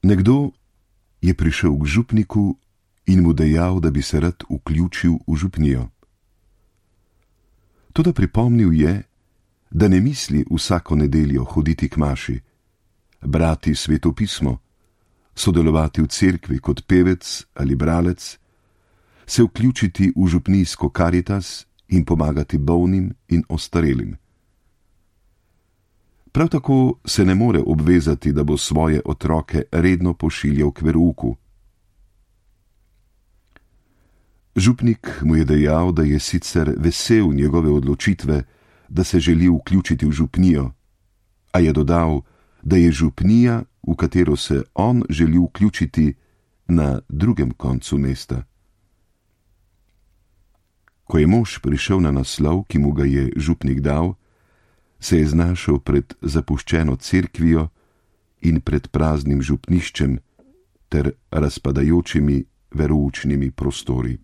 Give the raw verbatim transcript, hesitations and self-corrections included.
Nekdo je prišel k župniku in mu dejal, da bi se rad vključil v župnijo. Toda pripomnil je, da ne misli vsako nedeljo hoditi k maši, brati Sveto pismo, sodelovati v cerkvi kot pevec ali bralec, se vključiti v župnijsko karitas in pomagati bolnim in ostarelim. Prav tako se ne more obvezati, da bo svoje otroke redno pošiljal k verouku. Župnik mu je dejal, da je sicer vesel njegove odločitve, da se želi vključiti v župnijo, a je dodal, da je župnija, v katero se on želi vključiti, na drugem koncu mesta. Ko je mož prišel na naslov, ki mu ga je župnik dal, se je znašel pred zapuščeno cerkvijo in pred praznim župniščem ter razpadajočimi veroučnimi prostori.